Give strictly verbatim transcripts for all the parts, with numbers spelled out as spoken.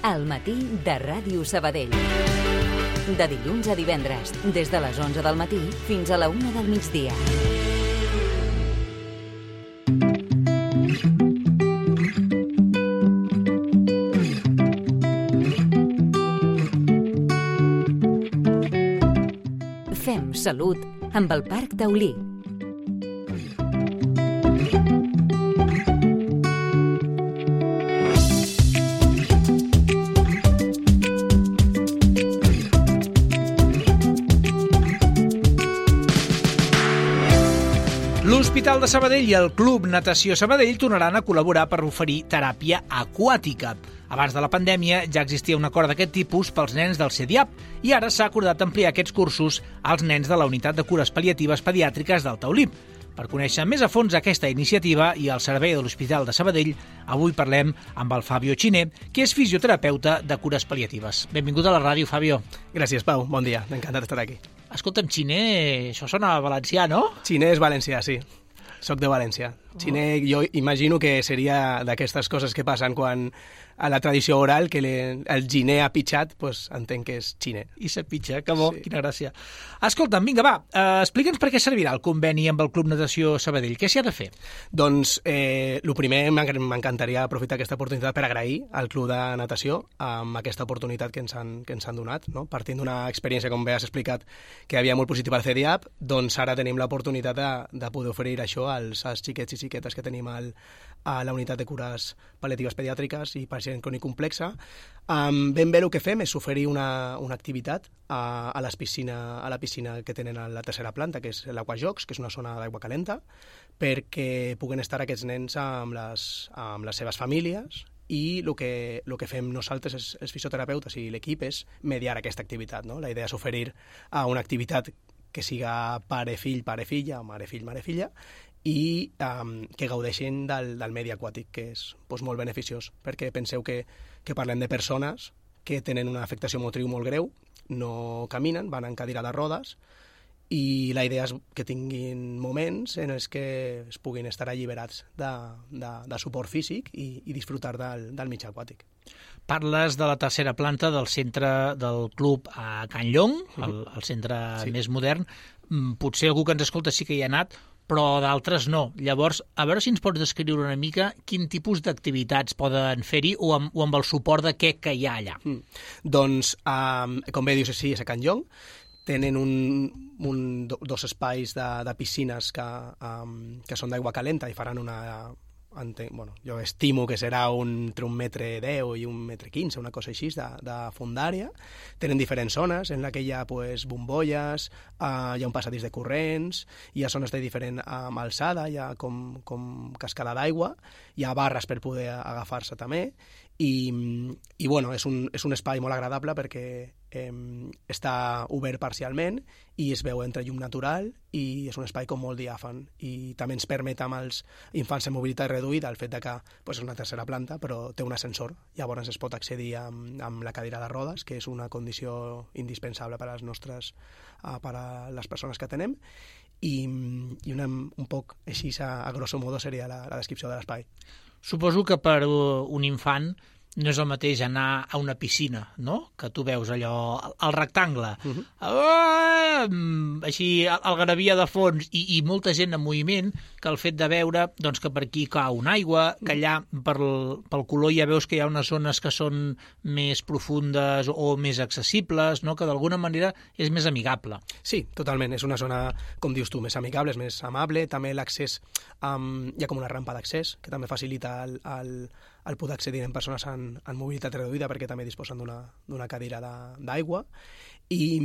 Al matí de Ràdio Sabadell. De dilluns a divendres, des de les onze del matí fins a la una del migdia. Fem salut amb el Parc Taulí. L'Hospital de Sabadell i el Club Natació Sabadell tornaran a col·laborar per oferir teràpia aquàtica. Abans de la pandèmia ja existia un acord d'aquest tipus pels nens del CEDIAP i ara s'ha acordat ampliar aquests cursos als nens de la Unitat de Cures Pal·liatives Pediàtriques del Taulí. Per conèixer més a fons aquesta iniciativa i el servei de l'Hospital de Sabadell, avui parlem amb el Fabio Xiner, que és fisioterapeuta de cures pal·liatives. Benvingut a la ràdio, Fabio. Gràcies, Pau. Bon dia. Encantat d'estar aquí. Escolta'm, Xiner, això sona valencià, no? Xiner és valencià, sí. Soc de València. Xiner, jo imagino que seria d'aquestes coses que passen quan a la tradició oral, que le, el giner ha pitjat, pues, entenc que és xiner. I se pitja, que bo, sí. Quina gràcia. Escolta'm, vinga, va, eh, explica'ns per què servirà el conveni amb el Club Natació Sabadell. Què s'hi ha de fer? Doncs, eh, el primer, m'encantaria aprofitar aquesta oportunitat per agrair al Club de Natació amb aquesta oportunitat que ens han, que ens han donat, no? Partint d'una experiència, com bé has explicat, que havia molt positiva al CEDIAP, doncs ara tenim l'oportunitat de, de poder oferir això als, als xiquets i xiquetes que tenim al, a la unitat de cures pal·liatives pediàtriques i pacient crònic complexa. Um, ben bé el que fem és oferir una, una activitat a, a, les piscina, a la piscina que tenen a la tercera planta, que és l'Aquajocs, que és una zona d'aigua calenta, perquè puguen estar aquests nens amb les, amb les seves famílies i el que, el que fem nosaltres, els, els fisioterapeutes i l'equip, és mediar aquesta activitat. No? La idea és oferir uh, una activitat que siga pare-fill, pare-filla, mare-fill, mare-filla, i um, que gaudeixin del, del medi aquàtic, que és doncs, molt beneficiós, perquè penseu que, que parlem de persones que tenen una afectació motriu molt greu, no caminen, van en cadira de rodes, i la idea és que tinguin moments en els que es puguin estar alliberats de, de, de suport físic i, i disfrutar del, del mig aquàtic. Parles de la tercera planta del centre del club a Can Llong, el, el centre sí. més modern. Potser algú que ens escolta sí que hi ha anat, però d'altres no. Llavors, a veure si ens pots descriure una mica quin tipus d'activitats poden fer-hi o, amb, o amb el suport de què que hi ha allà. Mm. Doncs, um, com bé dius, sí, és a Can Llong. Tenen un, un, dos espais de, de piscines que, um, que són d'aigua calenta i faran una... Entenc, bueno, jo estimo que serà un, entre un metre deu i un metre quinze, una cosa així, de, de fundària. Tenen diferents zones en la que hi ha pues, bombolles, uh, hi ha un passadís de corrents, hi ha zones de diferent um, alçada, hi ha com, com cascada d'aigua, hi ha barres per poder agafar-se també, i, i bueno, és un, és un espai molt agradable perquè eh, està obert parcialment i es veu entre llum natural i és un espai com molt diàfan i també ens permet amb els infants amb mobilitat reduïda el fet de que pues, és una tercera planta però té un ascensor, llavors es pot accedir amb, amb la cadira de rodes, que és una condició indispensable per a les nostres uh, per a les persones que tenem i, i una, un poc així a, a grosso modo seria la, la descripció de l'espai. Suposo que per un infant no és el mateix anar a una piscina, no? Que tu veus allò, el, el rectangle, uh-huh. ah, així, algarabia de fons i, i molta gent en moviment, que el fet de veure doncs, que per aquí cau una aigua, que allà per, pel color ja veus que hi ha unes zones que són més profundes o més accessibles, no? Que d'alguna manera és més amigable. Sí, totalment. És una zona, com dius tu, més amigable, és més amable. També l'accés, um, hi ha com una rampa d'accés, que també facilita el, el, el poder accedir en persones en, en mobilitat reduïda perquè també disposen d'una, d'una cadira d'aigua i,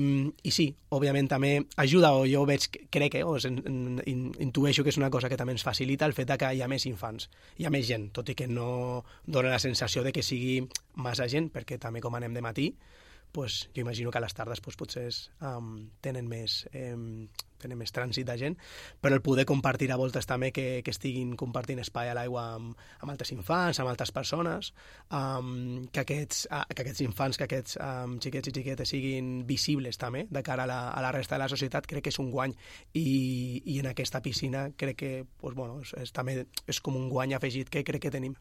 i sí, òbviament també ajuda, o jo veig, crec que o en, en, intueixo que és una cosa que també ens facilita el fet que hi ha més infants, hi ha més gent, tot i que no dona la sensació de que sigui massa gent, perquè també com anem de matí pues, jo imagino que a les tardes pues, potser um, tenen, més, um, tenen més trànsit de gent, però el poder compartir a voltes també que, que estiguin compartint espai a l'aigua amb, amb altres infants, amb altres persones, um, que, aquests, uh, que aquests infants, que aquests um, xiquets i xiquetes siguin visibles també de cara a la, a la resta de la societat, crec que és un guany. I, i en aquesta piscina crec que pues, bueno, és, és, també és com un guany afegit que crec que tenim.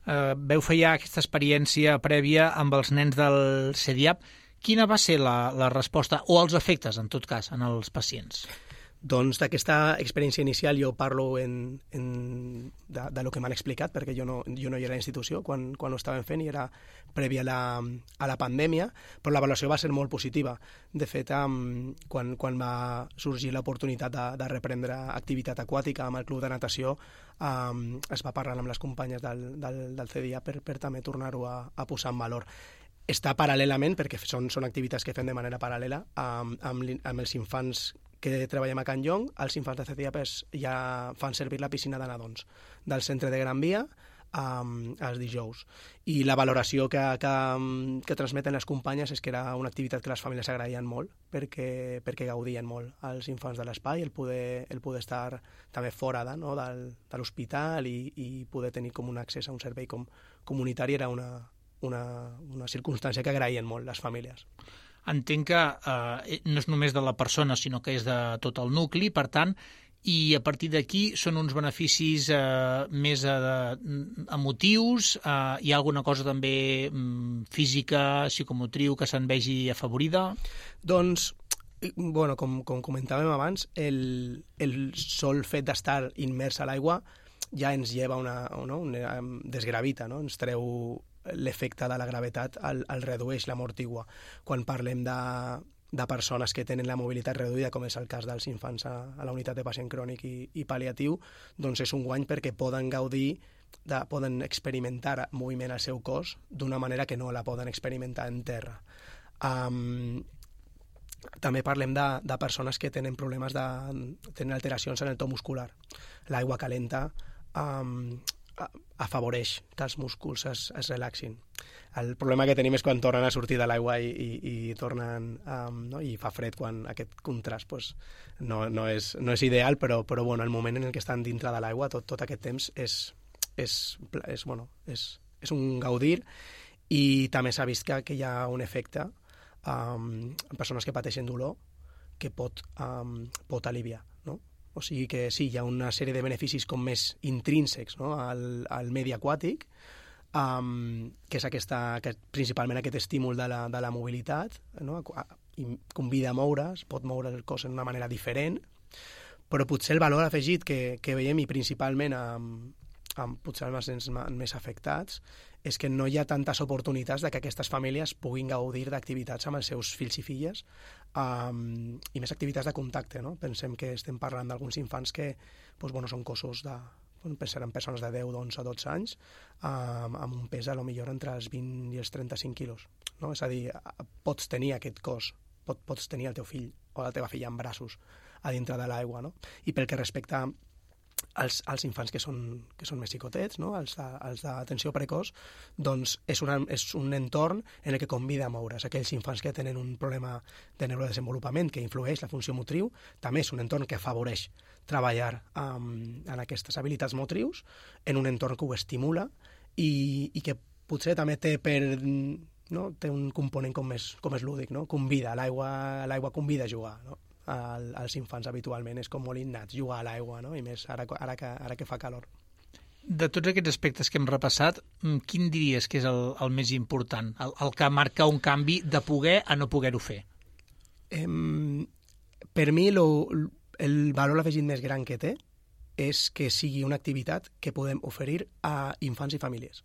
eh, veu fer ja aquesta experiència prèvia amb els nens del C D A P. Quina va ser la, la resposta, o els efectes, en tot cas, en els pacients? Doncs d'aquesta experiència inicial jo parlo en, en, de, de lo que m'han explicat, perquè jo no, jo no hi era a la institució quan, quan ho estàvem fent i era prèvia a la, a la pandèmia, però l'avaluació va ser molt positiva. De fet, um, quan, quan va sorgir l'oportunitat de, de reprendre activitat aquàtica amb el club de natació, um, es va parlar amb les companyes del, del, del C D A per, per també tornar-ho a, a posar en valor. Està paral·lelament, perquè són, són activitats que fem de manera paral·lela amb, amb, amb els infants que treballem a Can Llong. Els infants de C D A P ja fan servir la piscina de nadons del centre de Gran Via um, els dijous. I la valoració que, que, que transmeten les companyes és que era una activitat que les famílies agraïen molt, perquè, perquè gaudien molt els infants de l'espai, el poder, el poder estar també fora de, no, del, de l'hospital i, i poder tenir com un accés a un servei com, comunitari era una, una, una circumstància que agraïen molt les famílies. Entenc que eh, no és només de la persona, sinó que és de tot el nucli, per tant, i a partir d'aquí són uns beneficis eh, més eh, emotius, eh, hi ha alguna cosa també mm, física, psicomotriu, que se'n vegi afavorida? Doncs, bueno, com, com comentàvem abans, el, el sol fet d'estar immers a l'aigua ja ens lleva una, no? una desgravita, no? Ens treu l'efecte de la gravetat, el, el redueix, l'amortigua. Quan parlem de, de persones que tenen la mobilitat reduïda, com és el cas dels infants a, a la unitat de pacient crònic i, i pal·liatiu, doncs és un guany perquè poden gaudir, de, poden experimentar moviment al seu cos d'una manera que no la poden experimentar en terra. Um, també parlem de, de persones que tenen problemes de... tenen alteracions en el to muscular. L'aigua calenta um, afavoreix que els músculs es, es relaxin. El problema que tenim és quan tornen a sortir de l'aigua i, i, i tornen um, no? i fa fred quan aquest contrast pues, no, no, és, no és ideal, però, però bueno, el moment en el que estan dintre de l'aigua tot, tot aquest temps és, és, és, bueno, és, és un gaudir, i també s'ha vist que, que hi ha un efecte um, en persones que pateixen dolor que pot, um, pot aliviar, no? O sigui que sí, hi ha una sèrie de beneficis com més intrínsecs, no? al, al medi aquàtic, um, que és aquesta, que principalment aquest estímul de la, de la mobilitat, no? I convida a moure's, pot moure el cos d'una manera diferent, però potser el valor afegit que, que veiem, i principalment amb, amb potser els nens més afectats, és que no hi ha tantes oportunitats de que aquestes famílies puguin gaudir d'activitats amb els seus fills i filles, um, i més activitats de contacte, no? Pensem que estem parlant d'alguns infants que doncs, bueno, són cossos de... seran persones de deu, onze, dotze anys, um, amb un pes a lo millor entre els vint i els trenta-cinc quilos. No? És a dir, pots tenir aquest cos, pot, pots tenir el teu fill o la teva filla en braços a dintre de l'aigua. No? I pel que respecta als, als infants que són, que són més xicotets, no? els, de, els d'atenció precoç, doncs és, una, és un entorn en el que convida a moure's. Aquells infants que tenen un problema de neurodesenvolupament que influeix la funció motriu, també és un entorn que afavoreix treballar um, en aquestes habilitats motrius, en un entorn que ho estimula i, i que potser també té per... no? Té un component com més, com és lúdic, no? Convida, l'aigua, l'aigua convida a jugar, no? als infants habitualment és com molt innat jugar a l'aigua, no? I més ara, ara, que, ara que fa calor. De tots aquests aspectes que hem repassat, quin diries que és el, el més important, el, el que marca un canvi de poder a no poder-ho fer? Eh, per mi lo, el valor afegit més gran que té és que sigui una activitat que podem oferir a infants i famílies,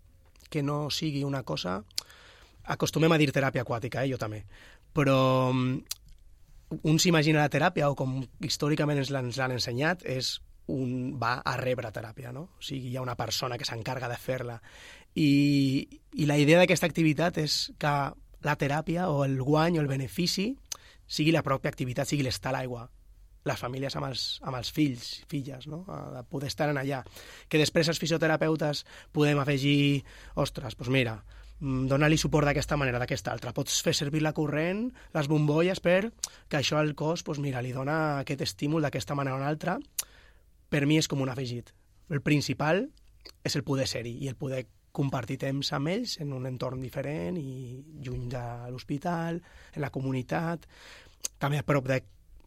que no sigui una cosa... Acostumem a dir teràpia aquàtica, eh? Jo també, però un s'imagina la teràpia, o com històricament ens l'han, ens l'han ensenyat, és un va a rebre teràpia, no? O sigui, hi ha una persona que s'encarga de fer-la. I, i la idea d'aquesta activitat és que la teràpia o el guany o el benefici sigui la pròpia activitat, sigui l'estar a l'aigua, les famílies amb els, amb els fills, filles, no? A poder estar en allà. Que després els fisioterapeutes podem afegir, ostres, doncs mira, dona-li suport d'aquesta manera, d'aquesta altra. Pots fer servir la corrent, les bombolles, per que això al cos, doncs mira, li dona aquest estímul d'aquesta manera o una altra. Per mi és com un afegit. El principal és el poder ser-hi i el poder compartir temps amb ells en un entorn diferent i lluny de l'hospital, en la comunitat, també a prop de,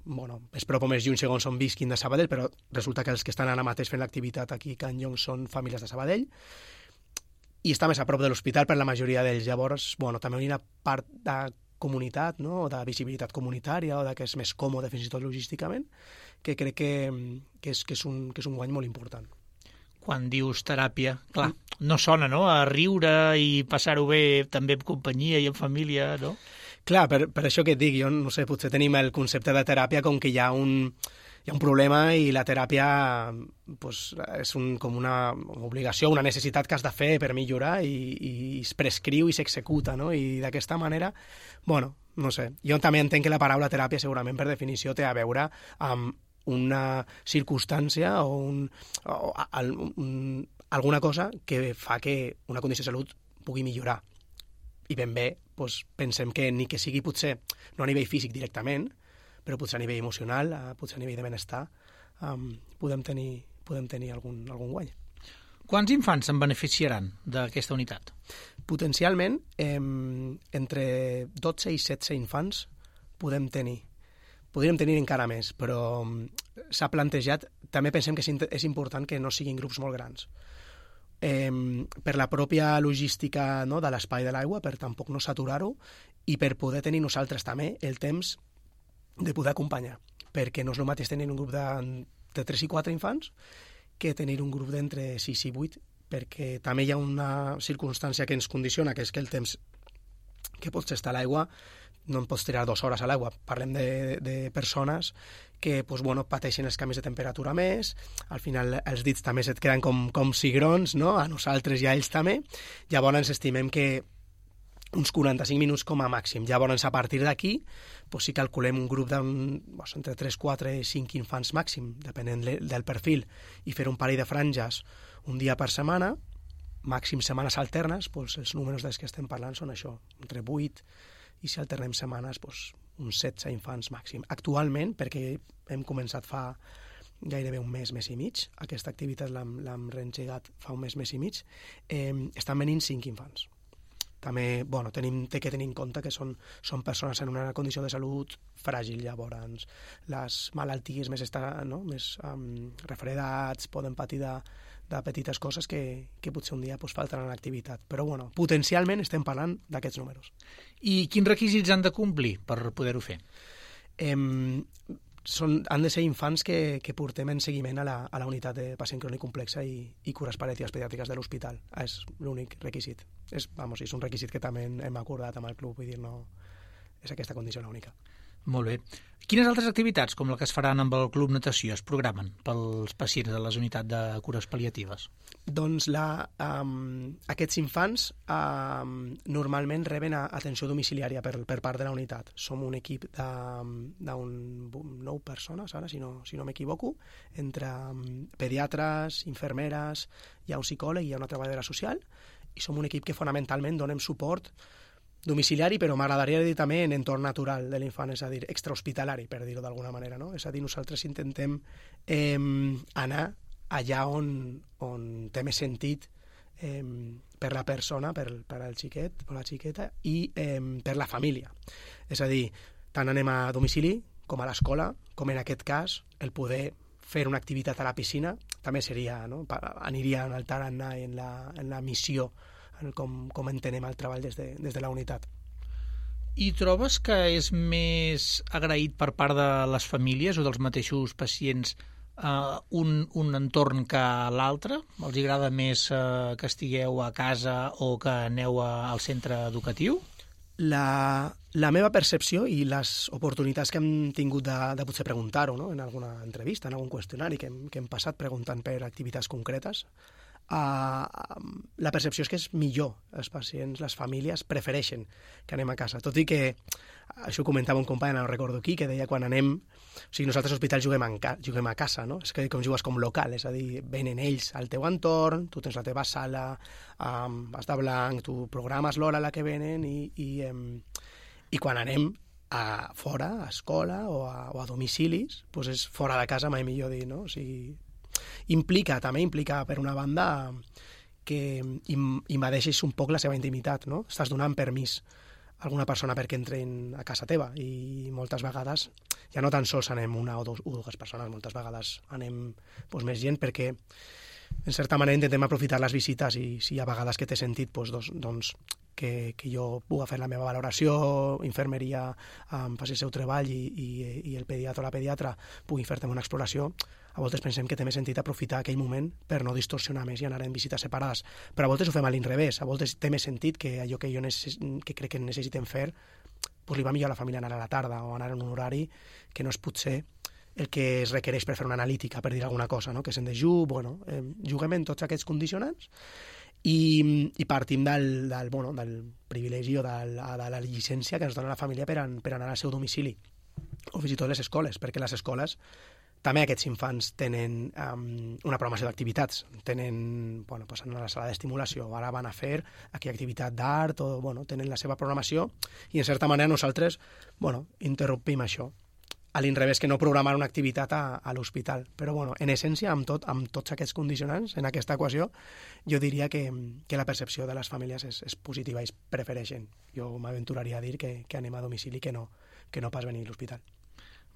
bueno, és prop o més lluny segons on visquin de Sabadell, però resulta que els que estan ara mateix fent l'activitat aquí a Can Llong són famílies de Sabadell. i està més a prop de l'hospital per la majoria d'ells. Llavors, bueno, també hi ha una part de comunitat, no? O de visibilitat comunitària, o de que és més còmode fins i tot logísticament, que crec que, que, és, que, és, un, que és un guany molt important. Quan dius teràpia, clar, no sona, no?, a riure i passar-ho bé també en companyia i en família, no? Clar, per, per això que et dic, jo no sé, potser tenim el concepte de teràpia com que hi ha un, hi ha un problema i la teràpia pues, és un, com una obligació, una necessitat que has de fer per millorar i, i es prescriu i s'executa, no? I d'aquesta manera, bueno, no sé, jo també entenc que la paraula teràpia segurament per definició té a veure amb una circumstància o, un, o un, alguna cosa que fa que una condició de salut pugui millorar. I ben bé, doncs, pensem que ni que sigui potser, no a nivell físic directament, però potser a nivell emocional, potser a nivell de benestar, um, podem tenir, podem tenir algun, algun guany. Quants infants se'n beneficiaran d'aquesta unitat? Potencialment, eh, entre dotze i setze infants podem tenir. Podríem tenir encara més, però s'ha plantejat, també pensem que és important que no siguin grups molt grans. Eh, per la pròpia logística, no, de l'espai de l'aigua, per tampoc no saturar-ho, i per poder tenir nosaltres també el temps de poder acompanyar, perquè no és el mateix tenir un grup de, de tres i quatre infants que tenir un grup d'entre sis i vuit, perquè també hi ha una circumstància que ens condiciona, que és que el temps que pots estar a l'aigua no en pots tirar dues hores a l'aigua. Parlem de, de persones que pues, bueno, pateixen els canvis de temperatura més, al final els dits també se't queden com, com cigrons, no? A nosaltres i a ells també. Llavors estimem que uns quaranta-cinc minuts com a màxim. Llavors, a partir d'aquí, pues, si calculem un grup d'un, pues, entre tres, quatre, cinc infants màxim, depenent del perfil, i fer un parell de franges un dia per setmana, màxim setmanes alternes, pues, els números dels que estem parlant són això, entre vuit, i si alternem setmanes, pues, uns setze infants màxim. Actualment, perquè hem començat fa gairebé un mes, mes i mig, aquesta activitat l'hem reengegat fa un mes, mes i mig, eh, estan venint cinc infants. També, bueno, tenim, té que tenir en compte que són, són persones en una condició de salut fràgil, llavors les malalties més, esta, no? més um, refredats, poden patir de, de petites coses que, que potser un dia pues, faltaran a l'activitat. Però bueno, potencialment estem parlant d'aquests números. I quins requisits han de complir per poder-ho fer? Eh, són, han de ser infants que, que portem en seguiment a la, a la unitat de pacient crònic complexa i, i cures pal·liatives pediàtriques de l'hospital. És l'únic requisit. És, vamos, és un requisit que també hem acordat amb el club, vull dir, no és aquesta condició l'única. Molt bé. Quines altres activitats, com la que es faran amb el Club Natació, es programen pels pacients de les unitats de cures pal·liatives? Doncs la, um, aquests infants um, normalment reben atenció domiciliària per, per part de la unitat. Som un equip d'un nou persones, ara, si no, si no m'equivoco, entre um, pediatres, infermeres, hi ha un psicòleg i hi ha una treballadora social, i som un equip que fonamentalment donem suport domiciliari, però m'agradaria dir també en entorn natural de l'infant, és a dir, extrahospitalari, per dir-ho d'alguna manera, no? És a dir, nosaltres intentem eh, anar allà on, on té més sentit eh, per la persona, per, per al xiquet o la xiqueta, i eh, per la família. És a dir, tant anem a domicili com a l'escola, com en aquest cas, el poder fer una activitat a la piscina també seria, no? Aniria en el tarannà en la, en la missió, com, com entenem el treball des de, des de la unitat. I trobes que és més agraït per part de les famílies o dels mateixos pacients eh, un, un entorn que l'altre? Els agrada més eh, que estigueu a casa o que aneu a, al centre educatiu? La, la meva percepció i les oportunitats que hem tingut de, de potser preguntar-ho, no? En alguna entrevista, en algun qüestionari que hem, que hem passat preguntant per activitats concretes, Uh, la percepció és que és millor. Els pacients, les famílies prefereixen que anem a casa, tot i que això ho comentava un company, no recordo qui, que deia quan anem, o sigui, nosaltres als hospitals juguem, en ca, juguem a casa, no? És que com jugues com local, és a dir, venen ells al teu entorn, tu tens la teva sala, um, vas de blanc, tu programes l'hora a la que venen i, i, um, i quan anem a fora, a escola o a, o a domicilis, doncs és fora de casa, mai millor dir, no? O sigui, implica, també implica, per una banda, que invadeixes un poc la seva intimitat, no? Estàs donant permís a alguna persona perquè entrin a casa teva i moltes vegades ja no tan sols anem una o, dos, o dues persones, moltes vegades anem doncs, més gent perquè en certa manera intentem aprofitar les visites i si hi ha vegades que té sentit doncs, doncs, doncs que, que jo puga fer la meva valoració, infermeria um, faci el seu treball i, i, i el pediatre o la pediatra pugui fer-te una exploració, a voltes pensem que té més sentit aprofitar aquell moment per no distorsionar més i anar en visites separades, però a voltes ho fem a l'inrevés, a voltes té més sentit que allò que jo necess... que crec que necessitem fer doncs li va millor a la família anar a la tarda o anar en un horari que no és potser el que es requereix per fer una analítica, per dir alguna cosa, no? Que se'n dejú, bueno, eh, juguem en tots aquests condicionants i, i partim del, del, bueno, del privilegi o de la, de la llicència que ens dona la família per, an, per anar al seu domicili o fins i tot les escoles, perquè les escoles també aquests infants tenen um, una programació d'activitats, tenen, bueno, pues anar a la sala d'estimulació, ara van a fer aquella activitat d'art, o, bueno, tenen la seva programació, i en certa manera nosaltres, bueno, interrompim això. A l'inrevés que no programar una activitat a, a l'hospital. Però, bueno, en essència, amb, tot, amb tots aquests condicionants, en aquesta equació, jo diria que, que la percepció de les famílies és, és positiva i es prefereixen. Jo m'aventuraria a dir que, que anem a domicili que no, que no pas venir a l'hospital.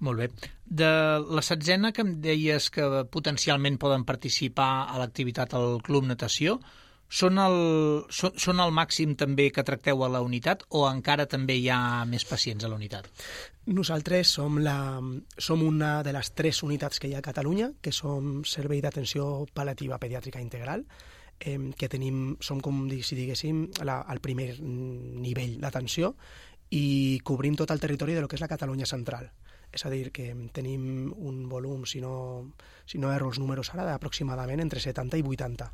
Molt bé. De la setzena que em deies que potencialment poden participar a l'activitat al Club Natació, són el, són, són el màxim també que tracteu a la unitat o encara també hi ha més pacients a la unitat? Nosaltres som, la, som una de les tres unitats que hi ha a Catalunya, que som Servei d'Atenció Pal·liativa Pediàtrica Integral, eh, que tenim, som com si diguéssim la, el primer nivell d'atenció i cobrim tot el territori de lo que és la Catalunya central. És a dir, que tenim un volum, si no, si no erro els números ara, d'aproximadament entre setanta i vuitanta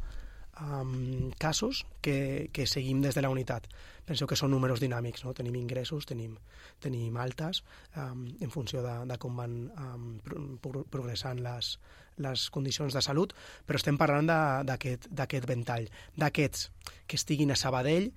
um, casos que, que seguim des de la unitat. Penseu que són números dinàmics, no? Tenim ingressos, tenim, tenim altes, um, en funció de, de com van um, pro, progressant les, les condicions de salut, però estem parlant d'aquest ventall. D'aquests que estiguin a Sabadell,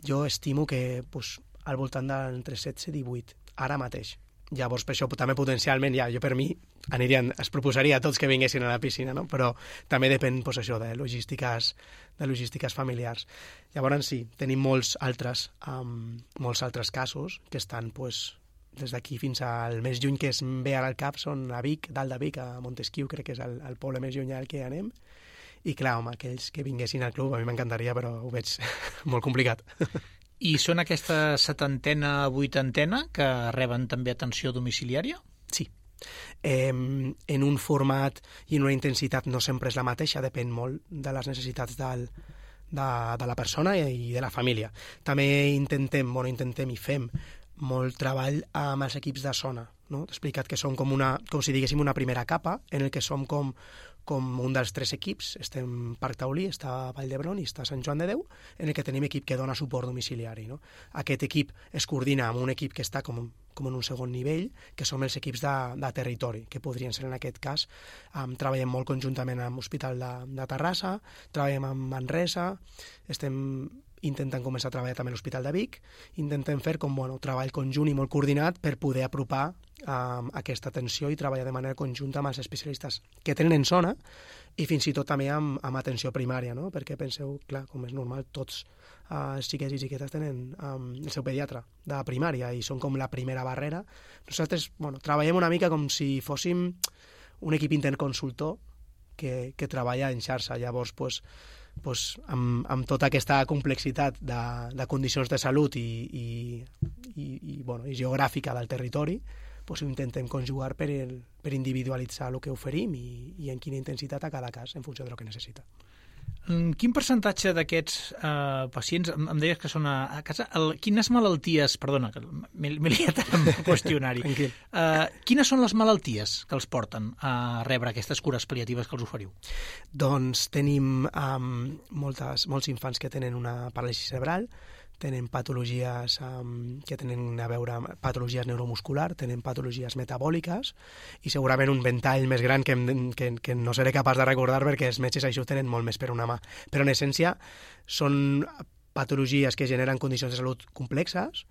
jo estimo que pues, al voltant d'entre setze i divuit, ara mateix. Llavors, per això també potencialment, ja, jo per mi anirien, es proposaria a tots que vinguessin a la piscina, no? Però també depèn pues, això, de logístiques, de logístiques familiars. Llavors, sí, tenim molts altres, um, molts altres casos que estan pues, des d'aquí fins al més lluny que es ve ara al cap, són a Vic, dalt de Vic, a Montesquieu, crec que és el, el poble més llunyà al que anem. I clar, home, aquells que vinguessin al club, a mi m'encantaria, però ho veig molt complicat. I són aquesta setantena, vuitantena que reben també atenció domiciliària? Sí. Eh, en un format i en una intensitat no sempre és la mateixa, depèn molt de les necessitats del, de, de la persona i de la família. També intentem, bueno, intentem i fem molt treball amb els equips de zona. No? T'he explicat que som com, una, com si diguéssim una primera capa en el que som com, com un dels tres equips. Estem Parc Taulí, està Vall d'Hebron i està Sant Joan de Déu, en el que tenim equip que dona suport domiciliari. No? Aquest equip es coordina amb un equip que està com, com en un segon nivell, que són els equips de, de territori, que podrien ser en aquest cas. Um, treballem molt conjuntament amb l'Hospital de, de Terrassa, treballem amb Manresa, estem intentant començar a treballar també a l'Hospital de Vic, intentem fer com bueno, treball conjunt i molt coordinat per poder apropar um, aquesta atenció i treballar de manera conjunta amb els especialistes que tenen en zona i fins i tot també amb, amb atenció primària, no? Perquè penseu, clar, com és normal, tots uh, els xiquets i xiquetes tenen um, el seu pediatre de primària i són com la primera barrera. Nosaltres bueno, treballem una mica com si fóssim un equip interconsultor que, que treballa en xarxa. Llavors, pues, pues, amb, amb tota aquesta complexitat de, de condicions de salut i, i, i, i, bueno, i geogràfica del territori, pues, ho intentem conjugar per, el, per individualitzar el que oferim i, i en quina intensitat a cada cas, en funció del que necessita. Quin percentatge d'aquests eh, pacients, em, em deies que són a, a casa, el, quines malalties, perdona, m'he liat amb el qüestionari, eh, quines són les malalties que els porten a rebre aquestes cures pal·liatives que els oferiu? Doncs tenim um, moltes, molts infants que tenen una paràlisi cerebral, tenen patologies um, que tenen a veure amb patologies neuromusculars, tenen patologies metabòliques i segurament un ventall més gran que, que, que no seré capaç de recordar perquè els metges això ho tenen molt més per una mà. Però en essència són patologies que generen condicions de salut complexes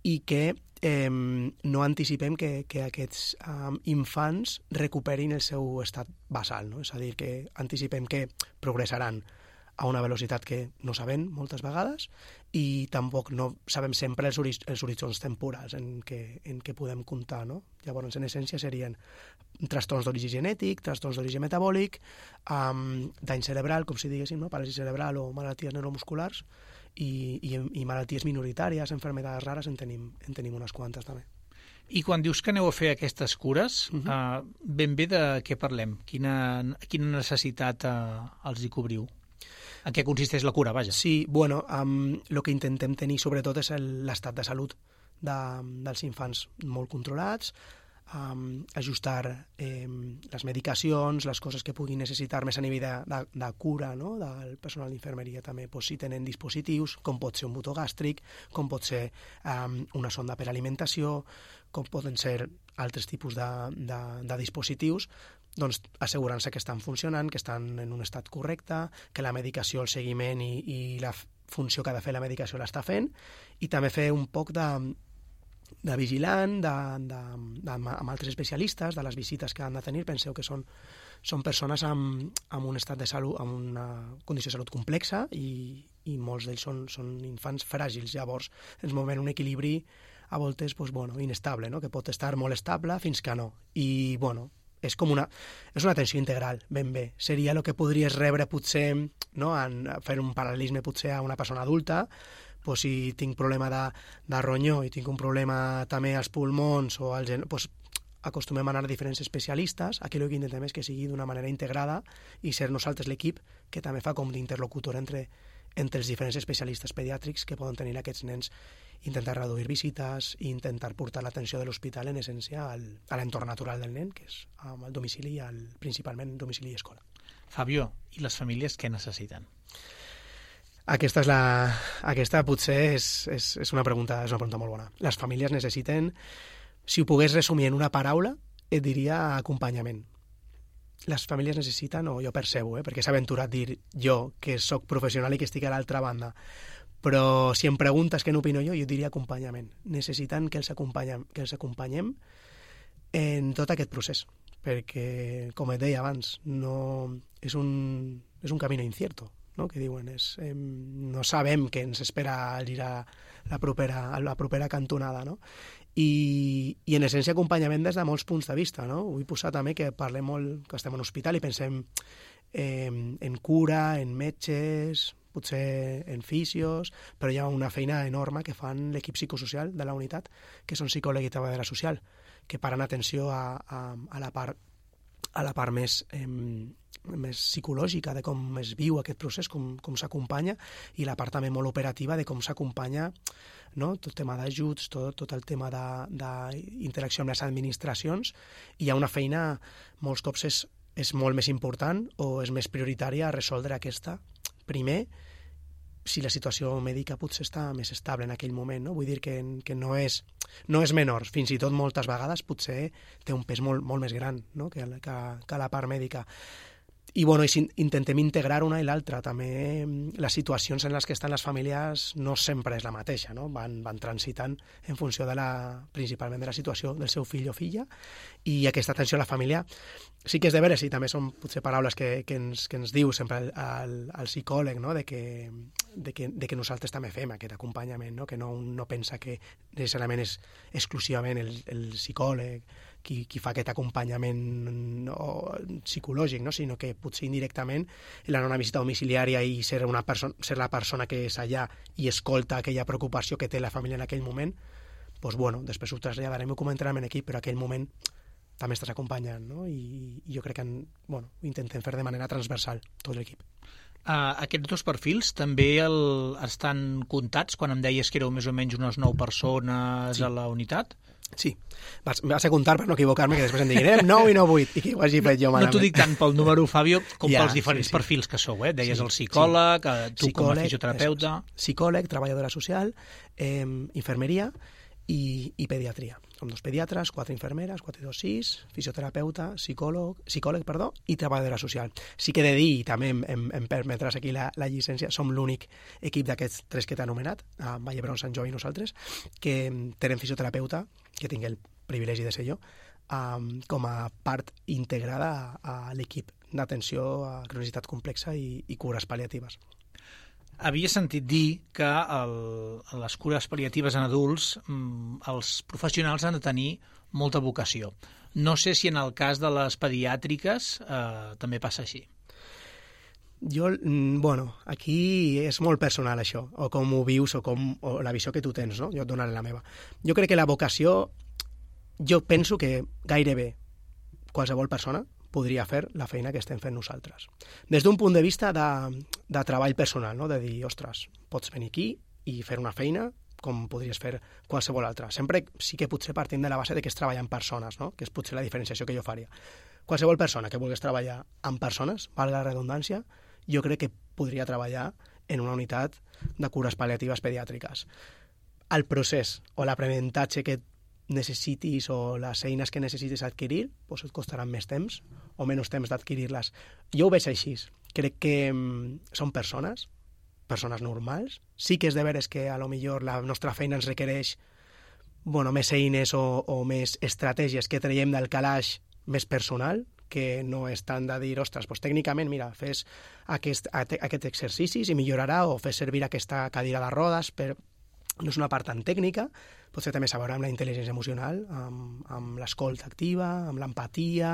i que eh, no anticipem que, que aquests eh, infants recuperin el seu estat basal, no? És a dir, que anticipem que progressaran a una velocitat que no sabem moltes vegades i tampoc no sabem sempre els, els horitzons temporals en què, en què podem comptar, no? Llavors, en essència, serien trastorns d'origen genètic, trastorns d'origen metabòlic, um, dany cerebral, com si diguéssim, no? Paràlisi cerebral o malalties neuromusculars, i, i, i malalties minoritàries, enfermedades rares, en tenim, en tenim unes quantes també. I quan dius que aneu a fer aquestes cures, uh-huh. uh, ben bé de què parlem? Quina, quina necessitat uh, els hi cobriu? En què consisteix la cura, vaja? Sí, bueno, um, el que intentem tenir sobretot és l'estat de salut de, dels infants molt controlats, um, ajustar eh, les medicacions, les coses que puguin necessitar més a nivell de, de, de cura, no? Del personal d'infermeria també, pues, si tenen dispositius, com pot ser un botó gàstric, com pot ser um, una sonda per alimentació, com poden ser altres tipus de, de, de dispositius, doncs assegurant-se que estan funcionant, que estan en un estat correcte, que la medicació, el seguiment i, i la funció que ha de fer la medicació l'està fent, i també fer un poc de, de vigilant, de, de, de, amb altres especialistes, de les visites que han de tenir. Penseu que són, són persones amb, amb un estat de salut, amb una condició de salut complexa, i, i molts d'ells són, són infants fràgils. Llavors ens movem un equilibri a voltes pues, bueno, inestable, no? Que pot estar molt estable fins que no. I, bueno, és com una, és una atenció integral, ben bé. Seria el que podries rebre potser, no? En fer un paral·lelisme potser a una persona adulta, pues, si tinc problema de, de ronyó i tinc un problema també als pulmons o als, pues, acostumem a anar a diferents especialistes. Aquí el que intentem és que sigui d'una manera integrada i ser nosaltres l'equip que també fa com d'interlocutor entre, entre els diferents especialistes pediàtrics que poden tenir aquests nens, intentar reduir visites i intentar portar l'atenció de l'hospital en essència al, a l'entorn natural del nen, que és el domicili, el, principalment domicili i escola. Fabio, i les famílies què necessiten? Aquesta, és la, aquesta potser és, és, és, una pregunta, és una pregunta molt bona. Les famílies necessiten, si ho pogués resumir en una paraula, et diria acompanyament. Les famílies necessiten, o jo percebo, eh, perquè s'ha aventurat a dir jo, que sóc professional i que estic a l'altra banda, però si em preguntes què n'opino jo, jo diria acompanyament. Necessiten que els, acompanyem, que els acompanyem en tot aquest procés, perquè, com et deia abans, no, és, un, és un camino incierto, no? Que diuen, és, eh, no sabem què ens espera al girar la propera, la propera cantonada, no? I, i en essència acompanyament des de molts punts de vista, no? Vull posar també que parlem molt, que estem en un hospital i pensem eh, en cura, en metges, potser en fisios, però hi ha una feina enorme que fan l'equip psicosocial de la unitat, que són psicòleg i treballadora social, que paren atenció a, a, a la part a la part més, eh, més psicològica de com es viu aquest procés, com, com s'acompanya, i la part també molt operativa de com s'acompanya, no? Tot el tema d'ajuts, tot, tot el tema d'interacció amb les administracions. I hi ha una feina, molts cops és, és molt més important o és més prioritària a resoldre aquesta. Primer, si la situació mèdica potser està més estable en aquell moment, no? Vull dir que, que no, és, no és menor, fins i tot moltes vegades potser té un pes molt, molt més gran, no? que, que, que la part mèdica. I, bueno, i si intentem integrar una i l'altra. També les situacions en les que estan les famílies no sempre és la mateixa, no? Van, van transitant en funció de la, principalment de la situació del seu fill o filla, i aquesta atenció a la família sí que és de veres, i també són potser paraules que, que, ens, que ens diu sempre el, el, el psicòleg, no? de, que, de, que, de que nosaltres també fem aquest acompanyament, no? Que no, no pensa que necessàriament és exclusivament el, el psicòleg qui, qui fa aquest acompanyament no, psicològic, no? Sinó que potser indirectament l'anar a una visita domiciliària i ser, una perso- ser la persona que és allà i escolta aquella preocupació que té la família en aquell moment, doncs, bueno, després ho traslladarem i ho comentarem en equip, però aquell moment també estàs acompanyant, no? I, i jo crec que bueno, ho intentem fer de manera transversal, tot l'equip. Uh, aquests dos perfils també el, estan comptats quan em deies que éreu més o menys unes nou persones sí. a la unitat? Sí, vas, vas a comptar per no equivocar-me, que després em diguin nou i no vuit, i que ho hagi fet jo malament. No t'ho dic tant pel número, Fabio, com ja, pels diferents sí, sí. perfils que sou, eh? Deies sí, el psicòleg, sí. tu psicòleg, com a fisioterapeuta... Psicòleg, treballadora social, eh, infermeria i, i pediatria. Som dos pediatres, quatre infermeres, quatre, dos, sis, fisioterapeuta, psicòleg, psicòleg perdó, i treballadora social. Sí que he de dir, i també em, em, em permetràs aquí la, la llicència, som l'únic equip d'aquests tres que t'he anomenat, a Vall d'Hebron, Sant Joan i nosaltres, que tenen fisioterapeuta, que tinc el privilegi de ser jo, um, com a part integrada a, a l'equip d'atenció a cronicitat complexa i, i cures pal·liatives. Havia sentit dir que el, les cures pal·liatives en adults, els professionals han de tenir molta vocació. No sé si en el cas de les pediàtriques eh, també passa així. Jo, bueno, aquí és molt personal això, o com ho vius o, com, o la visió que tu tens, no? Jo et donaré la meva. Jo crec que la vocació, jo penso que gairebé qualsevol persona podria fer la feina que estem fent nosaltres. Des d'un punt de vista de, de treball personal, no? De dir, ostres, pots venir aquí i fer una feina com podries fer qualsevol altra. Sempre sí que potser partint de la base de que es treballa amb persones, no? Que és potser la diferenciació que jo faria. Qualsevol persona que vulgués treballar amb persones, valga la redundància, jo crec que podria treballar en una unitat de cures pal·liatives pediàtriques. El procés o l'aprenentatge que necessitis o les eines que necessitis adquirir doncs et costaran més temps o menys temps d'adquirir-les. Jo ho veig així. Crec que mm, són persones, persones normals. Sí que és de veres que a lo millor la nostra feina ens requereix bueno, més eines o, o més estratègies que traiem del calaix més personal, que no és tant de dir, ostres, doncs tècnicament, mira, fes aquest, aquest exercicis i millorarà, o fes servir aquesta cadira de rodes, per... no és una part tan tècnica, potser també s'ha a veure amb la intel·ligència emocional, amb, amb l'escolta activa, amb l'empatia,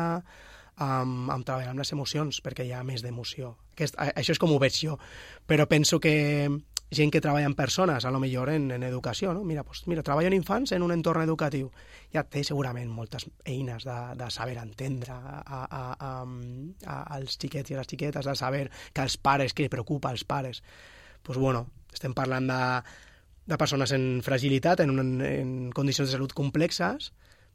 amb, amb treballar amb les emocions, perquè hi ha més d'emoció. Aquest, això és com ho veig jo, però penso que gent que treballa amb persones, a lo millor en, en educació, no? Mira, pues, mira, treballo en infants en un entorn educatiu. Ja té segurament moltes eines de, de saber entendre a, a, a, a, als xiquets i a les xiquetes, de saber que els pares, que preocupa als pares. Pues bueno, estem parlant de, de persones en fragilitat, en, un, en condicions de salut complexes,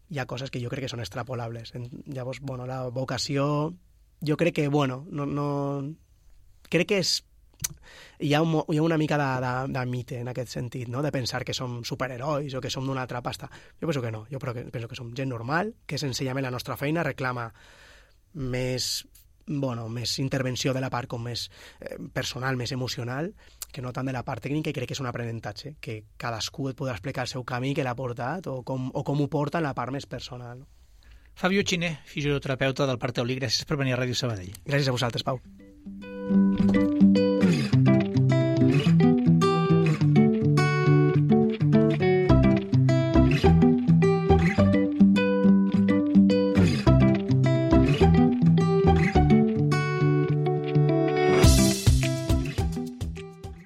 hi ha coses que jo crec que són extrapolables. Llavors, bueno, la vocació, jo crec que, bueno, no, no... crec que és hi ha, un, hi ha una mica de, de, de mite en aquest sentit, no? De pensar que som superherois o que som d'una altra pasta. Jo penso que no, jo penso que som gent normal, que senzillament la nostra feina reclama més, bueno, més intervenció de la part com més eh, personal, més emocional, que no tant de la part tècnica, i crec que és un aprenentatge, que cadascú et podrà explicar el seu camí que l'ha portat o com, o com ho porta en la part més personal. Fabio Xiner, fisioterapeuta del Parc Taulí, gràcies per venir a Ràdio Sabadell. Gràcies a vosaltres, Pau.